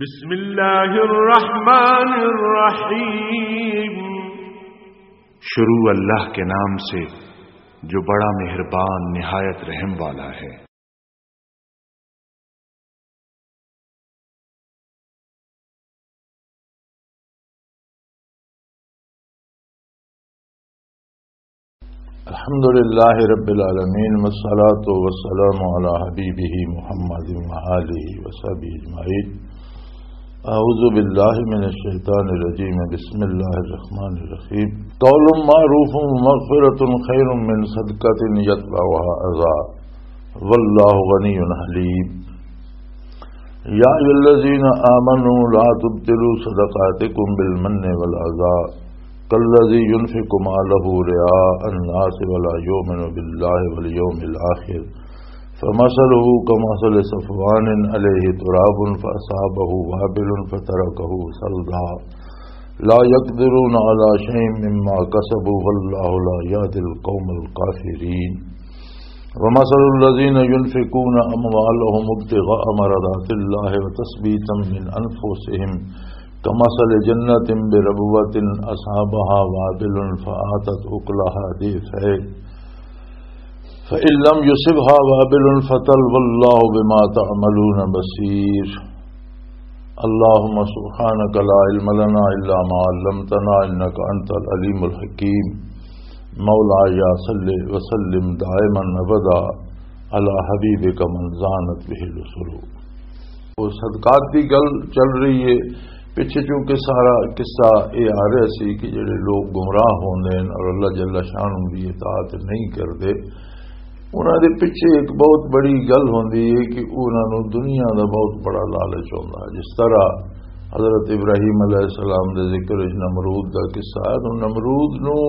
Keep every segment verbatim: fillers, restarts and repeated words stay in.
بسم اللہ الرحمن الرحیم۔ شروع اللہ کے نام سے جو بڑا مہربان نہایت رحم والا ہے۔ الحمد لله رب العالمين، والصلاة والسلام على حبيبه محمد وآله وصحبه أجمعين۔ أعوذ بالله من الشيطان الرجيم، بسم الله الرحمن الرحيم۔ قول معروف ومغفرة خير من صدقة يتبعها أذى، والله غني حليم۔ يا أيها الذين آمنوا لا تبطلوا صدقاتكم بالمن والأذى كالذي ينفق ماله رئاء الناس ولا يؤمن بالله واليوم الآخر فمثله كمثل صفوان عليه تراب فأصابه وابل فتركه صلدا لا يقدرون على شيء مما كسبوا والله لا يهدي القوم الكافرين۔ ومثل الذين ينفقون أموالهم ابتغاء مرضات الله وتثبيتا من أنفسهم كمثل جنة بربوة أصابها وابل فآتت أكلها ضعفين فإن لم يصبها وابل فطل والله بما تعملون بصير۔ اللهم سبحانك لا علم لنا إلا ما علمتنا إنك أنت العليم الحكيم۔ مولاي صل وسلم دائما أبدا على حبيبك من زانت به الأسر۔ وہ صدقات دی گل چل رہی ہے۔ پچھے چونکہ سارا قصہ یہ آ رہا سی کہ جڑے لوگ گمراہ ہوندے ہیں اور اللہ جل شانہ دی اطاعت نہیں کردے، انہاں دے پچھے ایک بہت بڑی گل ہوندی ہے کہ انہاں نوں دنیا دا بہت بڑا لالچ ہوندا ہے۔ جس طرح حضرت ابراہیم علیہ السلام دے ذکر وچ نمرود دا قصہ ہے، تو نمرود نوں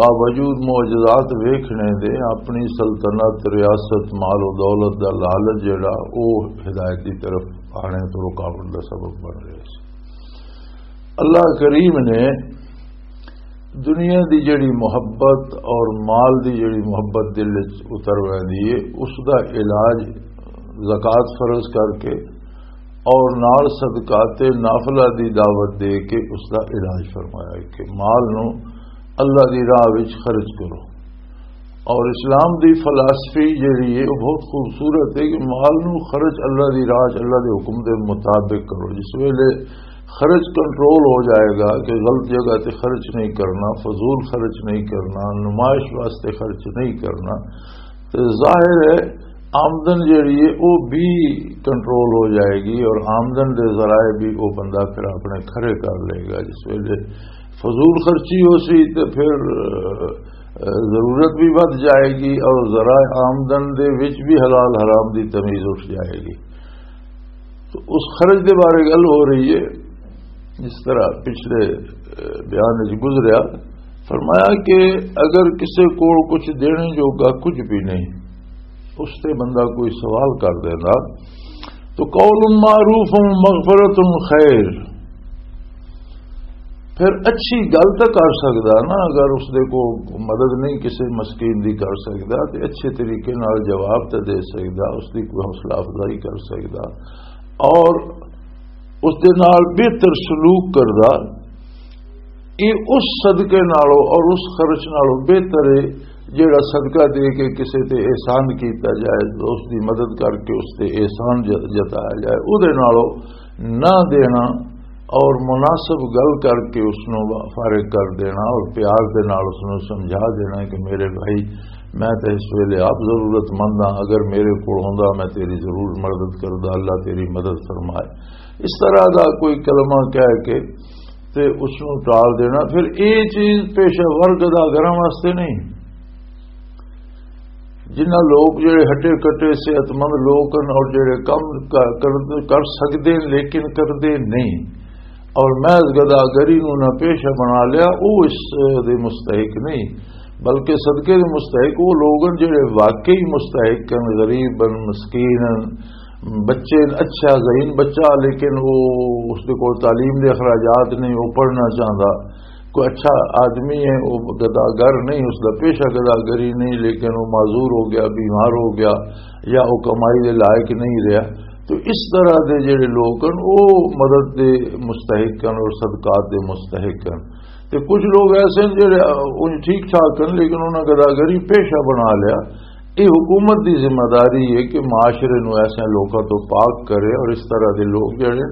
باوجود معجزات ویکھنے دے اپنی سلطنت، ریاست، مال و دولت دا لالچ جڑا، او ہدایت دی طرف آنے تو رکاوٹ دا سبب بن رہا سی۔ اللہ کریم نے دنیا دی جڑی محبت اور مال دی جڑی محبت دل وچ اتر ویندی ہے، اس دا علاج زکوٰۃ فرض کر کے اور نال صدقات نافلہ دی دعوت دے کے اس دا علاج فرمایا ہے کہ مال نو اللہ دی راہ وچ خرچ کرو۔ اور اسلام دی فلسفی جڑی ہے، وہ بہت خوبصورت ہے کہ مال نو خرچ اللہ دی راہ وچ، اللہ دے حکم دے مطابق کرو۔ جس ویلے خرچ کنٹرول ہو جائے گا کہ غلط جگہ تے خرچ نہیں کرنا، فضول خرچ نہیں کرنا، نمائش واسطے خرچ نہیں کرنا، تے ظاہر ہے آمدن جڑی ہے، وہ بھی کنٹرول ہو جائے گی اور آمدن دے ذرائع بھی وہ بندہ پھر اپنے کھرے کر لے گا۔ جس ویلے فضول خرچی ہو سی تے پھر، اہ، ضرورت بھی ودھ جائے گی اور ذرائع آمدن دے وچ بھی حلال حرام دی تمیز اٹھ جائے گی۔ تو اس خرچ دے بارے گل ہو رہی ہے، جس طرح پچھلے، اہ، بیان وچ گزریا، فرمایا کہ اگر کسے کول کچھ دینے جوگا کچھ بھی نہیں، اس تے بندہ کوئی سوال کر دینا، تو قول معروف و مغفرت خیر، پھر اچھی گل تو کر سکدا نا۔ اگر اس دے کو مدد نہیں کسی مسکین دی کر سکدا، تے اچھے طریقے نال جواب تے دے سکدا، اس دی کوئی حوصلہ افزائی کر سکدا اور اس دے نال بہتر سلوک کردا، یہ اس صدقے نالوں اور اس خرچ نالوں بہتر ہے جیڑا صدقہ دے کے کسے تے احسان کیتا جائے، دوست دی مدد کر کے اس تے احسان ج-، جتایا جائے، او دے نالوں نہ دینا اور مناسب گل کر کے اس نوں فارغ کر دینا اور پیار دے نال اس نوں سمجھا دینا کہ میرے بھائی، میں تے اس ویلے آپ ضرورت مند ہاں، اگر میرے کول ہوندا میں تیری ضرور مدد کردا، اللہ تیری مدد فرمائے۔ اس طرح دا کوئی کلمہ کہہ کے تے اس نوں ٹال دینا۔ پھر اے چیز پیشہ ور گدا گراں واسطے نہیں۔ جنہاں لوگ جڑے ہٹے کٹے صحت مند لوگ ہن اور جڑے کم کر، کر، کر سکدے ہن لیکن کردے نہیں، اور محض گدا گری نوں نہ پیشہ بنا لیا، او اس دے مستحق نہیں، بلکہ صدقے دے مستحق وہ لوگ ہن جڑے واقعی مستحق ہن، غریب ہن، مسکین ہن، بچے، اچھا ذہین بچہ، لیکن وہ، اس دے کول تعلیم دے اخراجات نہیں، وہ پڑھنا چاہندا۔ کوئی اچھا آدمی ہے، وہ گدا گر نہیں، اس دا پیشہ گدا گری نہیں، لیکن وہ معذور ہو گیا، بیمار ہو گیا، یا وہ کمائی دے لائق نہیں رہا، تو اس طرح دے جڑے لوگ ہن، او مدد دے مستحق ہن اور صدقات دے مستحق ہن۔ تے کچھ لوگ ایسے ہن جڑے، اہ، اونج ٹھیک ٹھاک ہن، لیکن انہاں گداگری پیشہ بنا لیا۔ یہ حکومت دی ذمہ داری ہے کہ معاشرے نو ایسے لوکاں تو پاک کرے، اور اس طرح دے لوگ جڑے،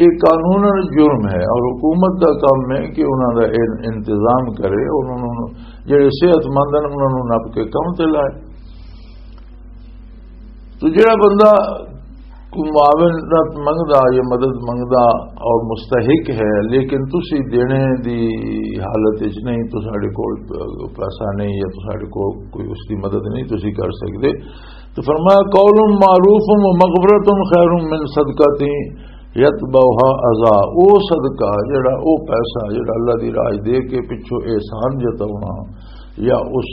یہ قانوناً جرم ہے، اور حکومت دا کام ہے کہ انہاں دا ان-، انتظام کرے، اور انہاں نو، جڑے صحت مند ہن، انہاں نو نپ کے کم تے لائے۔ تو جڑا بندہ کوئی معاونت منگدا یا مدد منگدا اور مستحق ہے، لیکن تسی دینے دی حالت وچ نہیں، تو ساڈے کول پیسہ نہیں یا تو ساڈے کول کوئی اس دی مدد نہیں تسی کر سکدے، تو فرمایا، "قول معروف و مغفرۃ خیر من صدقۃ یتبعها اذی۔" او صدقہ، جڑا او پیسہ جڑا اللہ دی راہ دے کے پچھوں احسان جتاونا، یا اس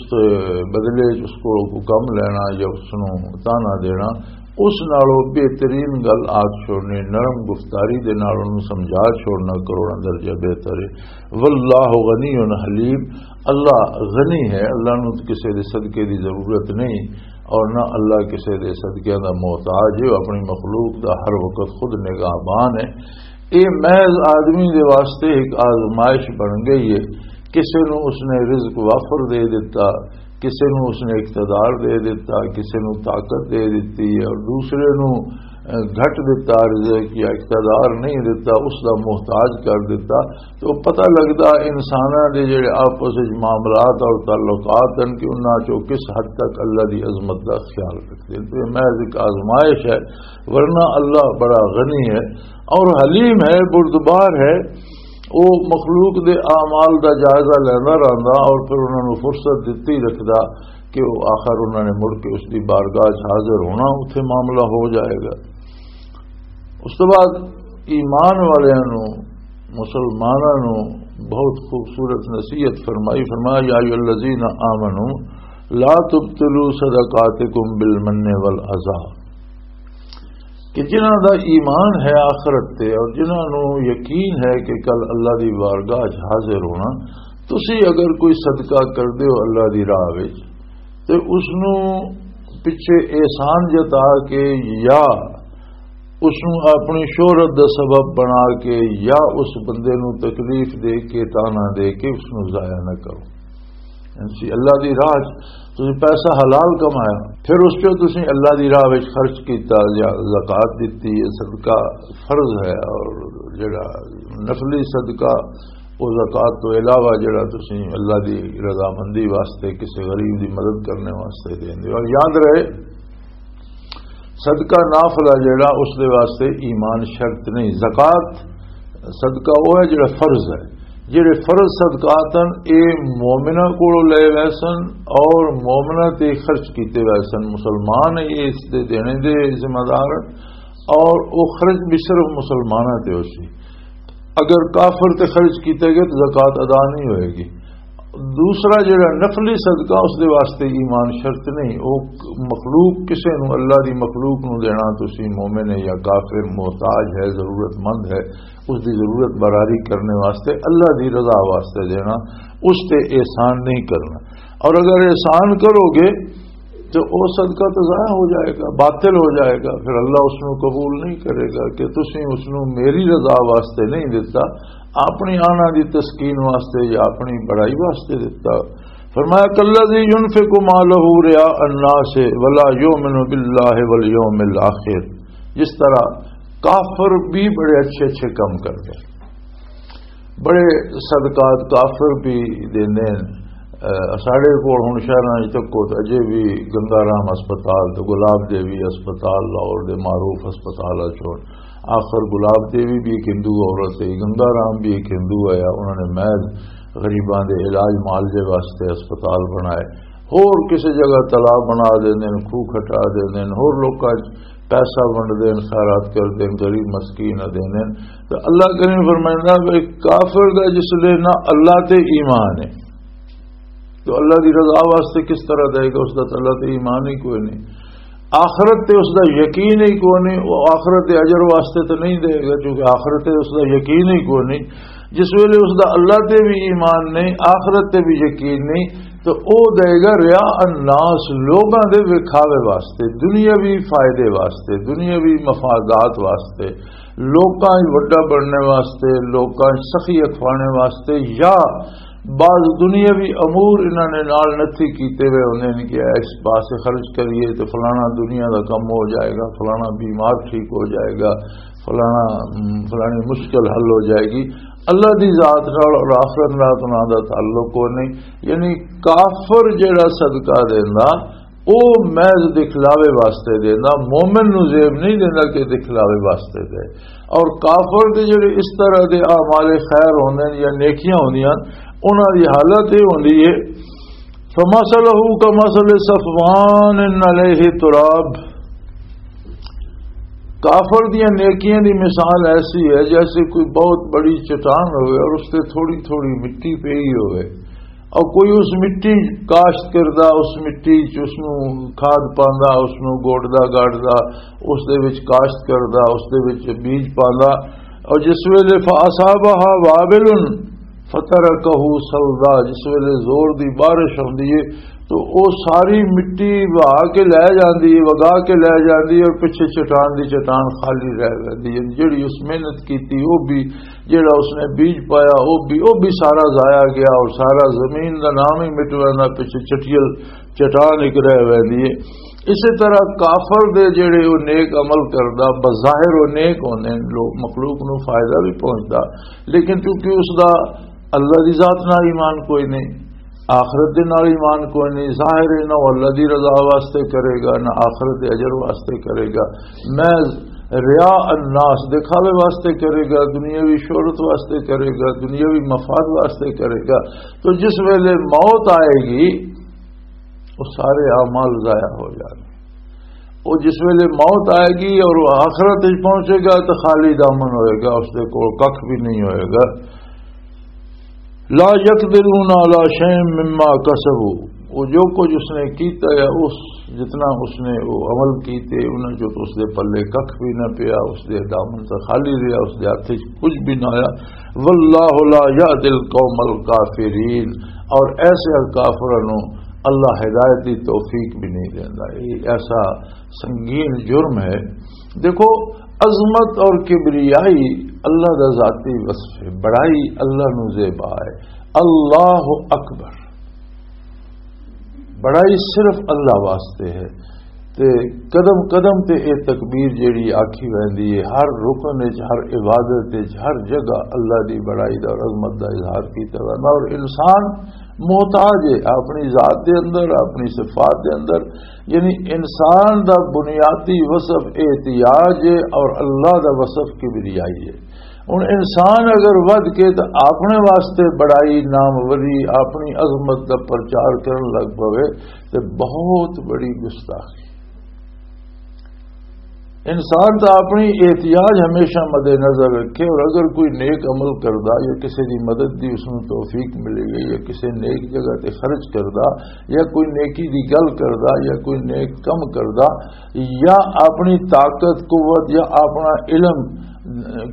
بدلے چ اس کولوں کوئی کم لینا یا اس نوں تانا دینا، اس نالوں بہترین گل آکھ چھوڑنی، نرم گفتاری دے نال اونوں سمجھا چھوڑنا کروڑاں درجہ بہتر ہے۔ واللہ غنی حلیم، اللہ غنی ہے، اللہ نوں کسے دے صدقے دی ضرورت نہیں، اور نہ اللہ کسے دے صدقیاں دا محتاج ہے، وہ اپنی مخلوق دا ہر وقت خود نگہبان ہے۔ یہ محض آدمی دے واسطے ایک آزمائش بن گئی ہے۔ کسے نوں اس نے رزق وافر دے دتا، کسے نوں اس نے اقتدار دے دتا، کسے نوں طاقت دے دتی، اور دوسرے نوں، اہ، گھٹ دتا رزق یا اقتدار نہیں دتا، اس دا محتاج کر دتا۔ تو پتہ لگدا انساناں دے جڑے آپس وچ معاملات اور تعلقات ہن کہ انہاں چوں کس حد تک اللہ دی عظمت دا خیال رکھدے۔ تو یہ محض ایک آزمائش ہے، ورنہ اللہ بڑا غنی ہے اور حلیم ہے، بردبار ہے۔ وہ مخلوق دے اعمال دا جائزہ لیندا رہندا اور پھر انہاں نوں فرصت دتی رکھدا کہ وہ آخر انہاں نے مڑ کے اس دی بارگاہ 'چ حاضر ہونا، اتھے معاملہ ہو جائے گا۔ اس تو بعد ایمان والیاں نوں، مسلماناں نوں بہت خوبصورت نصیحت فرمائی، فرمایا، "یا ایھا الذین آمنوا لا تبطلوا صدقاتکم بالمن والاذی۔" کہ جنہاں دا ایمان ہے آخرت تے اور جنہاں نوں یقین ہے کہ کل اللہ دی بارگاہ 'چ حاضر ہونا، تسی اگر کوئی صدقہ کر دیو اللہ دی راہ وچ، تے اس نوں پچھے احسان جتا کے یا اس نوں اپنی شہرت دا سبب بنا کے یا اس بندے نوں تکلیف دے کے، تانا دے کے اس نوں ضائع نہ کرو۔ یعنی اللہ دی راہ 'چ تسی پیسہ حلال کمایا، پھر اس چوں تسی اللہ دی راہ وچ خرچ کیتا یا زکوٰۃ دتی، یہ صدقہ فرض ہے، اور جڑا نفلی صدقہ، وہ زکوٰۃ تو علاوہ جڑا تسی اللہ دی رضامندی واسطے کسی غریب دی مدد کرنے واسطے دیندے ہو۔ اور یاد رہے، صدقہ نافلہ جڑا، اس دے واسطے ایمان شرط نہیں۔ زکوٰۃ صدقہ وہ ہے جڑا فرض ہے۔ جڑے فرض صدقات ہیں، اے مومنہ کولوں لے ویسن اور مومنہ تے خرچ کیتے ویسن۔ مسلمان یہ اس دے دینے دے ذمہ دار ہیں اور وہ خرچ بھی صرف مسلماناں تے ہو سی۔ اگر کافر تے خرچ کیتے گئے تو زکوٰۃ ادا نہیں ہوئے گی۔ دوسرا جڑا نفلی صدقہ، اس دے واسطے ایمان شرط نہیں۔ او مخلوق، کسے نو، اللہ دی مخلوق نو دینا، تسی مومن ہے یا کافر، محتاج ہے، ضرورت مند ہے، اس دی ضرورت براری کرنے واسطے، اللہ دی رضا واسطے دینا، اس تے احسان نہیں کرنا۔ اور اگر احسان کرو گے تو وہ صدقہ تو ضائع ہو جائے گا، باطل ہو جائے گا، پھر اللہ اس نو قبول نہیں کرے گا کہ تسی اس نو میری رضا واسطے نہیں دیتا، اپنی آنا دی تسکین واسطے یا اپنی بڑائی واسطے دیتا۔ فرمایا، "کالذی ینفق مالہ رئاء الناس ولا یؤمن باللہ والیوم الآخر"، جس طرح کافر بھی بڑے اچھے اچھے کام کرتے ہیں، بڑے صدقات کافر بھی دیندے ہیں۔ اہ، ساڈے کول ہن شہراں وچ تکو تے اجے بھی گنگا رام ہسپتال تے گلاب دیوی ہسپتال، لاہور دے معروف ہسپتال چ ہن۔ آخر گلاب دیوی بھی ایک ہندو عورت ہے، گنگا رام بھی ایک ہندو ہے، انہوں نے محض غریباں دے علاج معالجے واسطے ہسپتال بنائے۔ ہور کسی جگہ تالاب بنا دیندے نے، کھوہ کھٹا دیندے نے، ہور لوکاں چ پیسہ ونڈدے نے، خیرات کردے نے، غریب مسکین نوں دیندے نے۔ تو اللہ کریم فرمائندا، بھئی کافر دا جس لے نہ اللہ تے ایمان ہے، تو اللہ دی رضا واسطے کس طرح دے گا؟ اس دا تو اللہ تے ایمان ہی کوئی نہیں۔ آخرت تے اس دا یقین ہی کوئی نہیں، وہ آخرت دے اجر واسطے تو نہیں دے گا، کیونکہ آخرت تے اس دا یقین ہی کوئی نہیں۔ جس ویلے اس دا اللہ تے بھی ایمان نہیں، آخرت تے بھی یقین نہیں، تو او دے گا ریا الناس، لوگاں دے وکھاوے واسطے، دنیاوی فائدے واسطے، دنیاوی مفادات واسطے، لوکاں وچ وڈا بننے واسطے، لوکاں وچ سخی اکھوانے واسطے، یا بعض دنیاوی امور انہاں نے نال نتھی کیتے ہوئے ہوندے نے کہ اس پاسے خرچ کریے تے فلانا دنیا دا کم ہو جائے گا، فلانا بیمار ٹھیک ہو جائے گا، فلانا، ام، فلانی مشکل حل ہو جائے گی۔ اللہ دی ذات نال اور آخرت نال انہاں دا تعلق کوئی نہیں۔ یعنی کافر جڑا صدقہ دیندا، او محض دکھلاوے واسطے دیندا، مومن نو زیب نہیں دیندا کہ دکھلاوے واسطے دے۔ اور کافر دے جڑے اس طرح دے اعمال خیر ہوندے نے یا نیکیاں ہوندیاں، انہاں دی حالت یہ ہوندی ہے، فمثلہ کمثل صفوان علیہ تراب۔ کافر دیاں نیکیاں دی مثال ایسی ہے جیسے کوئی بہت بڑی چٹان ہوئے اور اس تے تھوڑی تھوڑی مٹی پئی ہوئے، اور کوئی اس مٹی کاشت کردا، اس مٹی چ اس نو کھاد پاندا، اس نو گوڑدا گاڑدا، اس دے وچ کاشت کردا، اس دے وچ بیج پاندا، اور جس ویلے فاصابہ وابل فترکہ صلدا، جس ویلے زور دی بارش ہوندی ہے تو او ساری مٹی وہا کے لے جاندی ہے، وگا کے لے جاندی ہے، اور پچھے چٹان دی چٹان خالی رہ جاندی ہے۔ جڑی اس محنت کیتی، او بھی، جڑا اس نے بیج پایا، او بھی، او بھی سارا ضائع گیا، اور سارا زمین دا نام ہی مٹ ویندا، پچھے چٹیل چٹان ایک رہ ویندی ہے۔ اسی طرح کافر دے جڑے او نیک عمل کردا، بظاہر او نیک ہوندے نے، لوگ مخلوق نو فائدہ بھی پہنچدا، لیکن چونکہ اس دا اللہ دی ذات نال ایمان کوئی نہیں، آخرت دے نال ایمان کوئی نہیں، ظاہر ہے نہ وہ اللہ دی رضا واسطے کرے گا، نہ آخرت دے اجر واسطے کرے گا، محض ریا الناس، دکھاوے واسطے کرے گا، دنیاوی شہرت واسطے کرے گا، دنیاوی مفاد واسطے کرے گا۔ تو جس ویلے موت آئے گی، وہ سارے اعمال ضائع ہو جانے۔ وہ جس ویلے موت آئے گی اور وہ آخرت وچ پہنچے گا تو خالی دامن ہوئے گا، اس دے کول ککھ بھی نہیں ہوئے گا۔ لا یقدرون علی شیء مما کسبوا، وہ جو کچھ اس نے کیتا ہے، اس، جتنا اس نے وہ عمل کیتے، انہاں جو تو اس دے پلے ککھ بھی نہ پیا، اس دے دامن سے خالی رہیا، اس دے ہاتھ وچ کچھ بھی نہ آیا۔ واللہ لا یہدی القوم الکافرین، اور ایسے کافروں نو اللہ ہدایت دی توفیق بھی نہیں دیندا۔ یہ ایسا سنگین جرم ہے۔ دیکھو، عظمت اور کبریائی اللہ دا ذاتی وصف ہے، بڑائی اللہ نو زیبا ہے۔ اللہ اکبر، بڑائی صرف اللہ واسطے ہے۔ تے قدم قدم تے اے تکبیر جیڑی آکھی ویندی ہے، ہر رکن وچ، ہر عبادت وچ، ہر جگہ اللہ دی بڑائی دا اور عظمت دا اظہار کیتا ویندا۔ اور انسان محتاج ہے اپنی ذات دے اندر، اپنی صفات دے اندر، یعنی انسان دا بنیادی وصف احتیاج ہے اور اللہ دا وصف کبریائی ہے۔ ہن انسان اگر ودھ کے تے اپنے واسطے بڑائی، ناموری، اپنی عظمت دا پرچار کرن لگ پوے تے بہت بڑی گستاخی۔ انسان تو اپنی احتیاج ہمیشہ مد نظر رکھے، اور اگر کوئی نیک عمل کردا یا کسی دی مدد دی اس نوں توفیق ملی گئی یا کسی نیک جگہ تے خرچ کردا یا کوئی نیکی دی گل کردا یا کوئی نیک کم کردا یا اپنی طاقت، قوت یا اپنا علم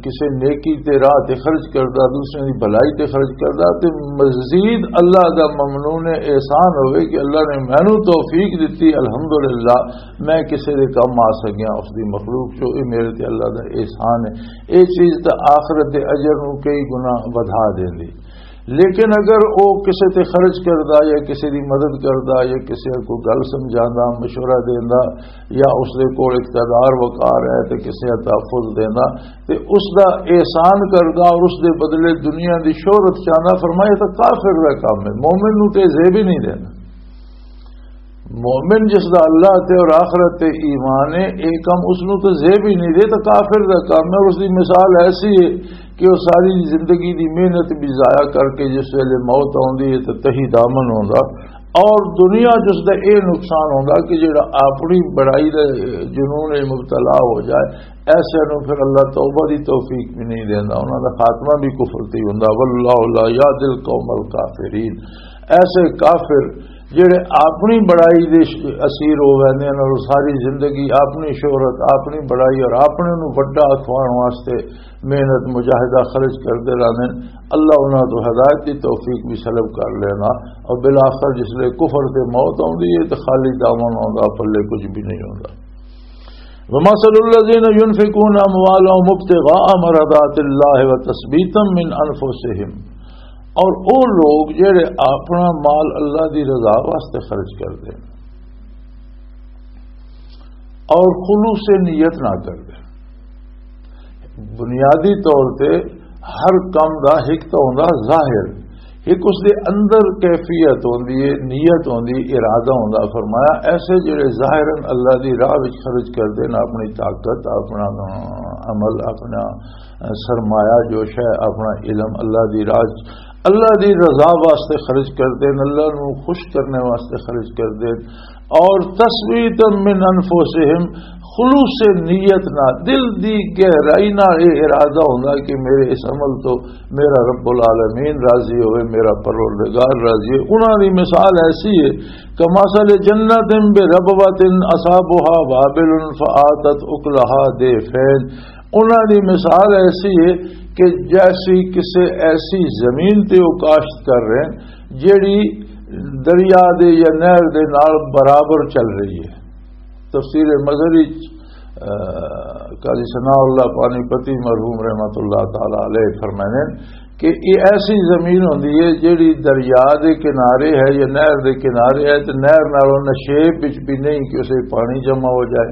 کسے نیکی تے راہ تے خرچ کردا، دوسرے دی بھلائی تے خرچ کردا، تے مزید اللہ دا ممنون احسان ہوئے کہ اللہ نے مینوں توفیق دتی، الحمدللہ، میں کسے دے کم آ سکیاں، اس دی مخلوق چوں، اے میرے تے اللہ دا احسان ہے۔ اے چیز تے آخرت دے اجر نوں کئی گنا ودھا دیندی۔ لیکن اگر او کسے تے خرچ کردا یا کسے دی مدد کردا یا کسے کو گل سمجھاندا، مشورہ دیندا یا اس دے کول اقتدار وقار ہے تے کسے دا تحفظ دیندا، تے اس دا احسان کردا اور اس دے بدلے دنیا دی شہرت چاہندا، فرمایا، یہ تو کافر دا کام ہے، مومن نوں تے زیب ہی نہیں دینا۔ مومن جس دا اللہ تے اور آخرت تے ایمان ہے، اے کم اس نوں تے زیب ہی نہیں دے، تو کافر دا کام ہے۔ اور اس دی مثال ایسی ہے کہ وہ ساری زندگی دی محنت بھی ضائع کر کے جس ویلے موت آوندی ہے تو تہی دامن ہوندا، اور دنیا جس دا اے نقصان ہوندا کہ جڑا اپنی بڑائی دے جنون وچ مبتلا ہو جائے، ایسے نوں پھر اللہ توبہ دی توفیق بھی نہیں دیندا، انہاں دا خاتمہ بھی کفر تے ہی ہوندا۔ واللہ لا یہدی القوم الکافرین، ایسے کافر جڑے اپنی بڑائی دے ش-، اسیر ہو ویندے نے اور ساری زندگی اپنی شہرت، اپنی بڑائی اور اپنے نوں وڈا اکھواؤن واسطے محنت، مجاہدہ خرچ کردے رہندے نے، اللہ انہاں تو ہدایت دی توفیق بھی سلب کر لینا۔ اور بالآخر جس لے کفر تے موت آوندی ہے تے خالی دامن آوندا، پلے کچھ بھی نہیں ہوندا۔ ومثل الذين ينفقون اموالهم ابتغاء مرضات الله وتثبيتا من انفسهم، اور او لوگ جڑے اپنا مال اللہ دی رضا واسطے خرچ کردے اور خلوص نیت نہ کردے، بنیادی طور تے ہر کم دا ایک تو ہوندا ظاہر، ایک اس دے اندر کیفیت ہوندی ہے، نیت ہوندی، ارادہ ہوندا۔ فرمایا ایسے جڑے ظاہراً اللہ دی راہ وچ خرچ کردے نے، اپنی طاقت، اپنا عمل، اپنا سرمایہ جو شے، اپنا علم اللہ دی راہ وچ، اللہ دی رضا واسطے خرچ کردے نے، اللہ نو خوش کرنے واسطے خرچ کردے نے۔ اور تثبیتا من انفسہم، خلوص نیت نال، دل دی گہرائی نال یہ ارادہ ہوندا کہ میرے اس عمل تو میرا رب العالمین راضی ہوئے، میرا پروردگار راضی ہوئے۔ انہاں دی مثال ایسی ہے، کمثل جنت بربوۃ اصابها وابل فآتت اکلها ضعفین۔ انہاں دی مثال ایسی ہے کہ جیسی کسے ایسی زمین تے وہ کاشت کر رہے ہیں جیڑی دریا دے یا نہر دے نال برابر چل رہی ہے۔ تفسیر مظہری، آ، قاضی ثناء اللہ پانی پتی مرحوم رحمت اللہ تعالی علیہ فرمانے کہ یہ ایسی زمین ہوندی ہے جیڑی دریا دے کنارے ہے یا نہر دے کنارے ہے، تے نہر نالوں نشیب وچ بھی نہیں کہ اسے پانی جمع ہو جائے،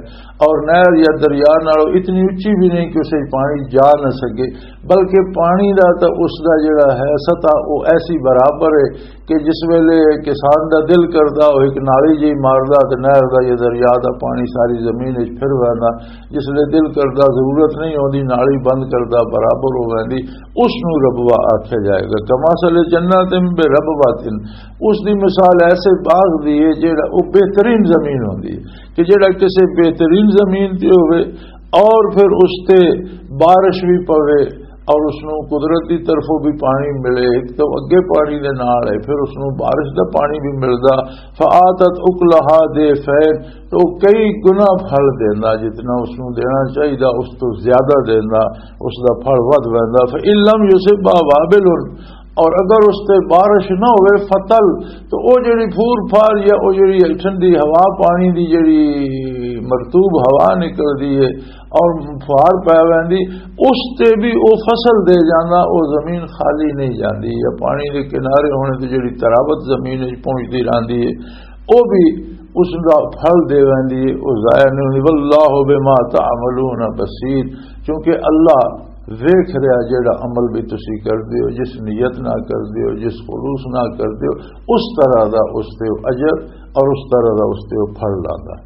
اور نہر یا دریا نالوں اتنی اچھی بھی نہیں کہ اسے پانی جا نہ سکے، بلکہ پانی دا تے اس دا جڑا ہے سطح، وہ ایسی برابر ہے کہ جس ویلے کسان دا دل کردا، وہ ایک نالی جی ماردا تے نہر دا یا دریا دا پانی ساری زمین وچ پھر ویندا۔ جس ویلے دل کردا، ضرورت نہیں ہوندی، نالی بند کردا، برابر ہو ویندی۔ اس نوں ربوہ آکھیا جائے گا۔ کمثل جنت بربوۃ، اس دی مثال ایسے باغ دی ہے جیڑا، وہ بہترین زمین ہوندی ہے کہ جیڑا کسے بہترین زمین تے ہوئے اور پھر اس تے بارش بھی پوے اور اس نوں قدرت دی طرفوں بھی پانی ملے، ایک تو اگے پانی دے نال ہے، پھر اس نوں بارش دا پانی بھی ملدا، فآتت اکلہا ضعفین، تو کئی گنا پھل دیندا، جتنا اس نوں دینا چاہیدا اس تو زیادہ دیندا، اس دا پھل ودھ ویندا۔ فإن لم یصبها وابل، اور اگر اس تے بارش نہ ہوئے، فطل، تو او جڑی پھور پھار یا او جڑی ٹھنڈی ہوا، پانی دی جڑی مرطوب ہوا نکلدی ہے اور پھار پی ویندی، اس تے بھی او فصل دے جاندا، او زمین خالی نہیں جاندی، یا پانی دے کنارے ہونے تے جڑی ترابت زمین وچ پہنچدی رہندی ہے، او بھی اس دا پھل دے ویندی ہے، او ضائع نہیں ہوندی۔ واللہ بما تعملون بصیر، کیونکہ اللہ ویکھ رہا جیڑا عمل بھی تسی کردے ہو، جس نیت نہ کردے ہو، جس خلوص نہ کردے ہو، اس طرح دا اس تے اجر اور اس طرح دا اس تے پھل لاندا۔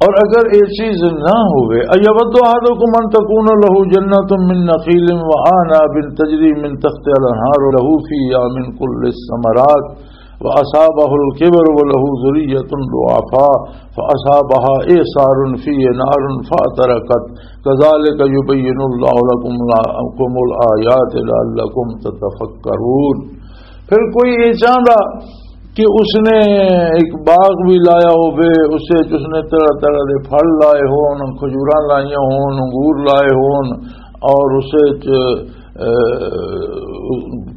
اور اگر یہ چیز نہ ہوئے، ایود احدکم ان تکون لہ جنت من نخیل و اعناب تجری من تحتها الانہار لہ فیہا من کل الثمرات، وأصابه الكبر وله ذرية ضعفاء فأصابها إعصار فيه نار فاحترقت كذلك يبين الله لكم، لكم الآيات لعلكم تتفكرون۔ پھر کوئی یہ چاہتا کہ اس نے ایک باغ بھی لایا ہوئے، اس وچ اس نے طرح طرح دے پھل لائے ہون، کھجوراں لائیاں ہون، انگور لائے ہون، اور اس وچ، اے،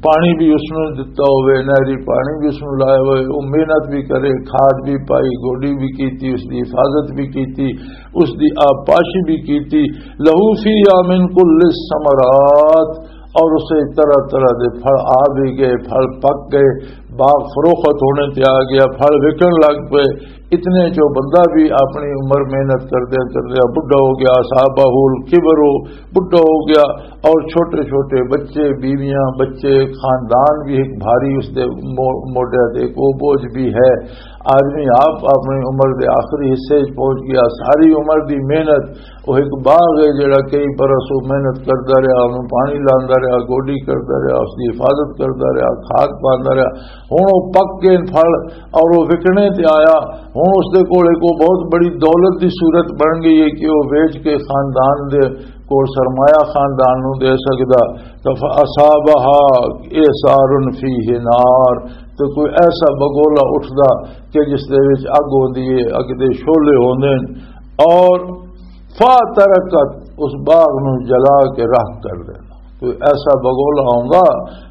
پانی بھی اس نے دتا ہوئے، نہری پانی بھی اس نے لایا ہوئے، وہ محنت بھی کرے، کھاد بھی پائی، گوڈی بھی کیتی، اس دی حفاظت بھی کیتی، اس دی آبپاشی بھی کیتی۔ لہو فیہا من کل الثمرات، اور اسے طرح طرح دے پھل آ بھی گئے، پھل پک گئے، باغ فروخت ہونے تے آ گیا، پھل وکن لگ پئے۔ اتنے چو بندہ بھی اپنی عمر محنت کردیا کردیا بڈھا ہو گیا، اصابہ الکبر، بڈھا ہو گیا، اور چھوٹے چھوٹے بچے، بیویاں، بچے، خاندان بھی ایک بھاری اس دے مو-، موڈے تے ایک وہ بوجھ بھی ہے۔ آدمی آپ اپنی عمر دے آخری حصے وچ پہنچ گیا، ساری عمر دی محنت، وہ ایک باغ ہے جڑا کئی برس وہ محنت کردا رہیا، انہوں پانی لاندا رہیا، گوڈی کردا رہیا، اس دی حفاظت کردا رہیا، کھاد پاندا رہیا، ہن وہ پک کے پھل اور وہ وکنے تے آیا۔ ہن اس دے کول ایک وہ بہت بڑی دولت دی صورت بن گئی ہے کہ وہ ویچ کے خاندان دے کول سرمایہ خاندان نوں دے سکدا، تو فاصابها اعصار فيه نار، تو کوئی ایسا بگولا اٹھدا کہ جس دے وچ اگ ہوندی ہے، اگ دے شعلے ہوندے نے، اور فاترکت، اس باغ نوں جلا کے راکھ کر دینا۔ کوئی ایسا بگولا ہوندا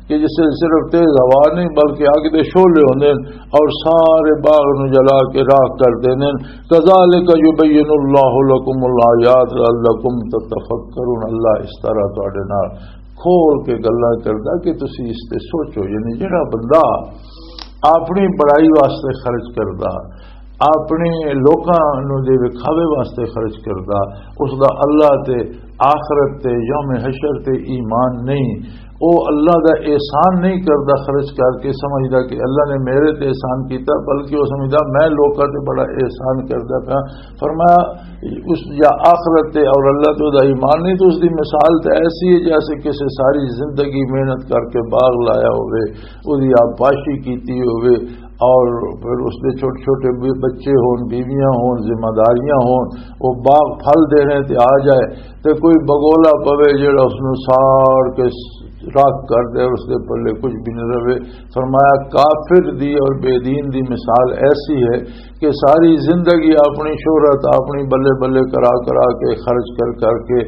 کہ جس سے صرف تیز ہوا نہیں بلکہ اگ دے شعلے ہوندے نے اور سارے باغ نوں جلا کے راکھ کر دیندے نے۔ کذالک یبین اللہ لکم الآیات لعلکم تتفکرون، اللہ اس طرح تواڈے نال کھول کے گلاں کردا کہ تسی اس تے سوچو۔ یعنی جڑا بندہ اپنی بڑائی واسطے خرچ کردا، اپنے لوکاں نوں دے وکھاوے واسطے خرچ کردا، اس دا اللہ تے، آخرت تے، یوم حشر تے ایمان نہیں۔ او اللہ دا احسان نہیں کردا خرچ کر کے، سمجھدا کہ اللہ نے میرے تے احسان کیتا، بلکہ وہ سمجھدا میں لوکاں تے بڑا احسان کردا پیا۔ فرمایا، اس یا آخرت تے اور اللہ تے دا ایمان نہیں، تو اس دی مثال تے ایسی ہے جیسے کسی ساری زندگی محنت کر کے باغ لایا ہوئے، اس دی آبپاشی کیتی ہوئے، اور پھر اس دے چھوٹے چھوٹے بھی بچے ہون، بیویاں ہون، ذمہ داریاں ہون، وہ باغ پھل دینے تے آ جائے، تے کوئی بگولا پوے جڑا اس نوں ساڑ کے راکھ کر دے، اس دے پلے کچھ بھی نہ رہے۔ فرمایا، کافر دی اور بے دین دی مثال ایسی ہے کہ ساری زندگی اپنی شہرت اپنی بلے بلے کرا کرا کے، خرچ کر کر کے،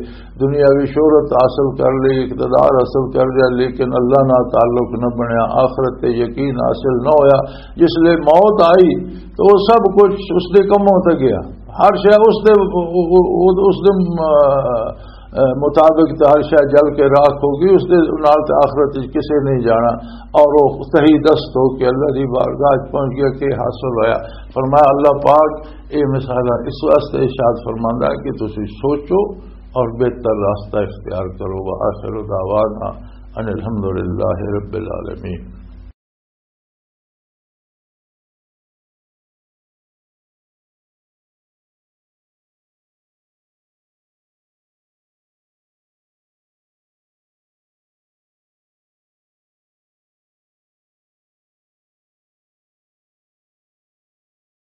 دنیاوی شہرت حاصل کر لی، اقتدار حاصل کر لیا، لیکن اللہ نال تعلق نہ بنیا، آخرت تے یقین حاصل نہ ہویا۔ جس لے موت آئی تو وہ سب کچھ اس دے کموں تے گیا، ہر شے اس دے، اس دے، مطابق تے ہر شے جل کے راکھ ہو گئی، اس دے نال تے آخرت وچ کسے نہیں جانا۔ اور وہ تہی دست ہو کے اللہ دی بارگاہ وچ پہنچ گیا کہ حاصل ہویا۔ فرمایا، اللہ پاک اے مثال اس واسطے ارشاد فرماندا ہے کہ تسی سوچو اور بہتر راستہ اختیار کرو۔ وآخر دعوانا ان الحمدللہ رب العالمین۔